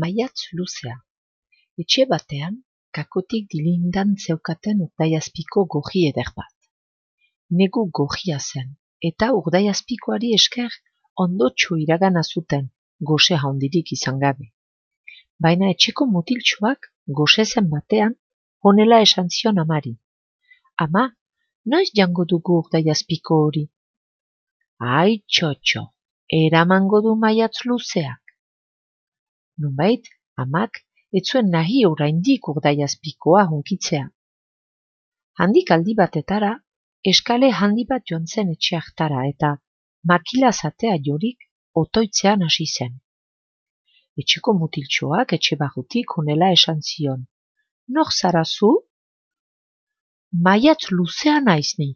Maiatz luzea. Etxe batean, kakotik dilindan zeukaten urdaiazpiko gorri eder bat. Negu gorria zen, eta urdaiazpikoari esker ondotxo iragana zuten, gose handirik izan gabe. Baina etxeko mutiltxoak gose zen batean, honela esan zion amari. Ama, noiz jango dugu urdaiazpiko hori? Ai, txotxo, eramango du maiatz luzeak. Nunbait, amak etzuen nahi oraindik urdaiazpikoa hunkitzea. Handik aldi batetara, eskale handi bat joan zen etxe hartara eta makila zatea jorik otoitzean hasi zen. Etxeko mutiltxoak etxe barrutik honela esan zion. Nor zara zu? Maiatz luzea naiz ni,